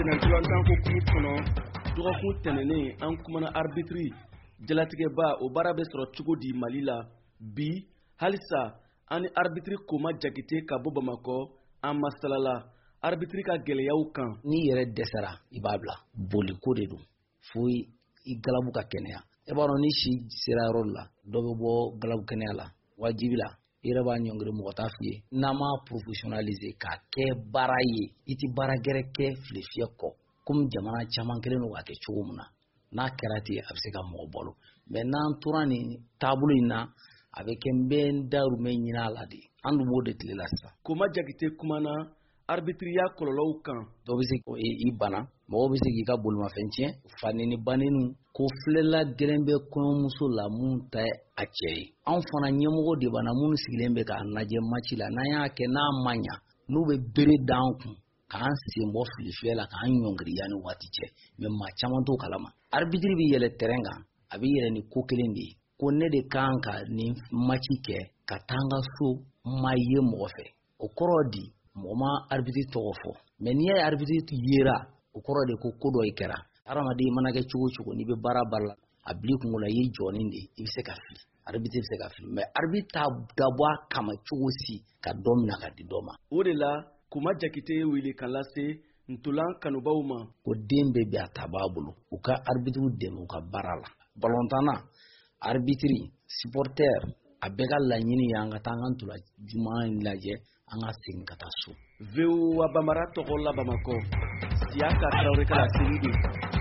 Sennantolatan hukumu kɔnɔ, dɔgɔkun tɛmɛnen, an kumana arbitre jalatigɛba, o baara bɛ sɔrɔ cogo di Mali la bi? Halisa an ni arbitre Koma Jakite ka bɔ Bamakɔ, an masalala arbitre ka gɛlɛyaw kan. N'i yɛrɛ dɛsɛra, i b'a bila. Boliko de don fo i galabu ka kɛnɛya. E b'a dɔn, ni si sera yɔrɔ dɔ la, dɔ bɛ bɔ galabu kɛnɛya la wajibi la. I yɛrɛ b'a ɲɔngiri, mɔgɔ t'a f'i ye. N'an m'a professionnaliser k'a kɛ baara ye, i ti baara gɛrɛ kɛ filefiyɛ kɔ, komi jamana caman kɛlen don k'a kɛ cogo min na. N'a kɛra ten, a bɛ se ka mɔgɔ balo. Mɛ n'an tora nin taabolo in na, a bɛ kɛ n bɛ n dahirimɛ ɲini a la de. An dun b'o de tile la sisan. Koma Jakite kumana arbitriya kɔlɔlɔw kan. Dɔ bɛ se i bana, mɔgɔw bɛ se k'i ka bolimafɛn tiɲɛ, faneni baneniw ko filɛla gɛlɛn bɛ kɔɲɔmuso la mun tɛ a cɛ ye. Anw fana ɲɛmɔgɔ de b'an na, minnu sigilen bɛ k'a lajɛ match la. N'an y'a kɛ n'a ma ɲa, n'u bɛ bere d'an kun k'an sen bɔ filifiyɛ la, k'an ɲɔngiri yanni waati cɛ. Mɛ maa caman t'o kalama. Arbitre bɛ yɛlɛ terrain kan, a bɛ yɛlɛ ni ko kelen de ye, ko ne de kan ka nin match kɛ ka taa n ka so, ma ye mɔgɔ fɛ. O kɔrɔ di, mɔgɔ ma arbitre tɔgɔ fɔ. Mɛ n'i y'a ye arbitre yera, o kɔrɔ de ko ko dɔ i kɛra. Hadamaden mana kɛ cogo o cogo, n'i bɛ baara baara la, a bil'i kunkolo la i ye jɔni de ye, i bɛ se ka fili. Arbitre bɛ se ka fili, mɛ arbitre t'a dabɔ a kama cogo si ka dɔ minɛ ka di dɔ ma. O de la, Koma Jakite ye wele ka lase ntolan kanubaw ma. Ko den bɛɛ bi a ta b'a bolo, u ka arbitre dɛmɛ u ka baara la. Balontanna, arbitre, supporter, a bɛɛ ka laɲini ye an ka taa an ka ntola juman lajɛ, an ka segin ka taa so. VOA Bambara tɔgɔ la Bamakɔ, Siyaka Tarawele ka laseli don.